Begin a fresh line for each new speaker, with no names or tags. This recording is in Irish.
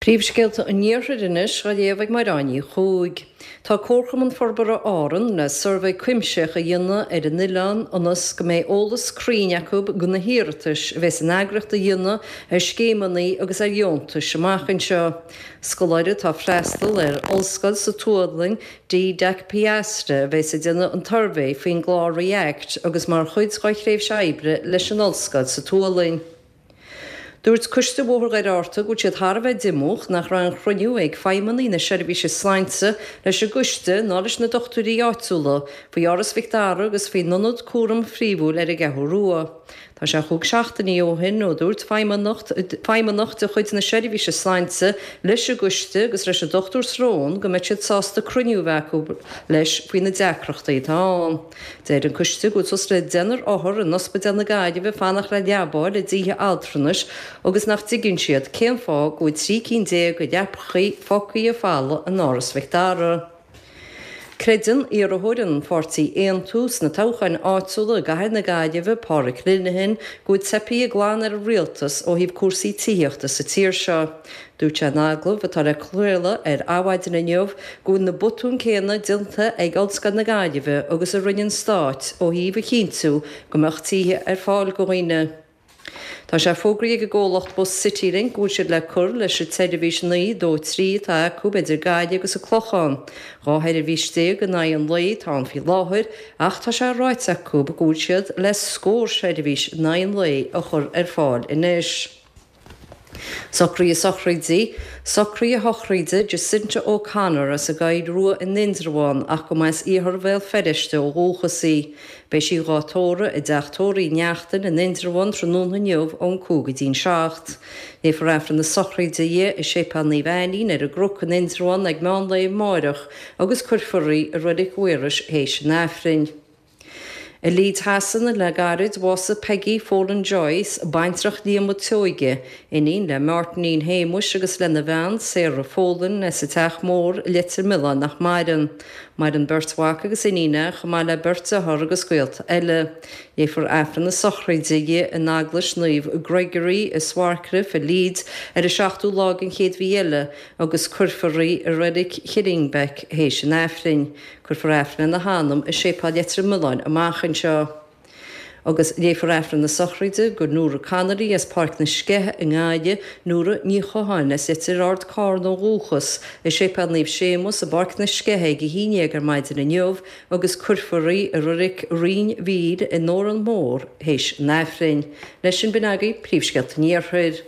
Príomhscéalta an Iarthair anois á léamh ag Mairéad Ní Chuaig. Tá Comharchumann Forbartha Árann le suirbhé cuimsitheach a dhéanamh ar an oileán ionas go mbeidh eolas cruinn acu do na hiarratais a bheas an eagraíocht a dhéanamh ar scéimeanna agus ar dheontais amach anseo. Scoláire atá ag freastal ar ollscoil sa tSualainn, Dee Dack-Piastre, a bheas ag déanamh an tsuirbhé faoin gclár ReAct agus mar chuid dá thréimhse oibre leis an ollscoil sa tSualainn. Dúirt Coiste Bhóthar Dhoire Fhatharta go bhfuil siad thar a bheith diomúch nach raibh aon chruinniú ag feidhmeannaigh na seirbhíse sláinte leis an gcoiste ná leis na dochtúirí áitiúla faoi Áras Mhic Dara agus faoin ionad cúraim phríomhúil ar an gCeathrú Rua. Tá sé chúig seachtainí ó shin ó dúirt feidhmeannach de chuid na seirbhíse sláinte leis an gcoiste agus leis an Dr Srón go mbeadh siad sásta cruinniú a bheith acu leis faoi na deacrachtaí atá ann. Deir an coiste go bhfuil suas le deichniúr othar in Ospidéal na Gaillimhe ag fanacht le leabáil i dtithe altranais agus nach dtuigeann siad cén fáth go bhfuil 13 cinn de leapachaí fágtha folamh in Áras Mhic Dara. Creideann iarrthóir an pháirtí Aontú sna toghcháin áitiúla i gcathair na Gaillimhe, Pádraic Linehan, go bhfuil teipthe glan ar an rialtas ó thaobh cúrsaí tithíochta sa tír seo. Dúirt sé in agallamh atá le craoladh ar Adhmhaidin inniu go bhfuil na botúin céanna déanta ag Ollscoil na Gaillimhe agus a rinne an Stát ó thaobh a chinntiú go mbeadh tithe ar fáil do dhaoine. Tá sé fógraithe ag an gcomhlacht bus Citylink go bhfuil siad le cur leis an tseirbhís 9 2 3 atá acu idir Gaillimh agus an Clochán. 12 sheirbhís in aghaidh an lae atá ann faoi láthair ach tá sé ráite acu go bhfuil siad le scór seirbhís in aghaidh an lae a chur ar fáil anois. Socruithe sochraide Socruithe sochraide Jacinta O'Connor as an gCoill Rua in Indreabhán ach go mba as iarthar Bhéal Feirste ó dhúchas í. Beidh sí dhá tórramh i dteach tórraimh Uí Neachtain in Indreabhán tráthnóna inniu ón 5 go dtí'n 7. Léifear Aifreann na sochraide di i Séipéal Naomh Ainnín ar an gCnoc in Indreabhán ag meán lae amáireach agus cuirfear í i Reilig Mhaorais théis an Aifrinn. I Leeds Shasana le gairid, bhásaigh Peggy Folan Joyce, baintreach Liam Ó Tseoige, iníon le Máirtín Shéamuis agus lena bhean, Sarah Folan, as an Teach Mór, Leitir Mealláin nach maireann. Maireann beirt mhac agus iníon chomh maith le beirt dearthár agus gaolta eile. Léifear Aifreann na sochraide di in Eaglais Naomh Gregory i Swarcliffe i Leeds ar an 7ú lá den chéad mhí eile agus cuirfear í i Reilig Killingbeck théis an Aifrinn. Cuirfear Aifreann lena hanam i Séipéal Leitir Mealláin amach anseo. Agus léifear Aifreann na sochraide do Nóra Connolly as Páirc na Sceiche i nGaillimh, Nóra Ní Chatháin as Leitir Ard Carna ó dhúchas, i Séipéal Naomh Séamus i bPáirc na Sceiche ag 11 ar maidin inniu agus cuirfear í i Reilig Rinn Mhíl i nÓran Mór théis an Aifrinn. Leis sin b'in agaibh príomhscéalta an Iarthair.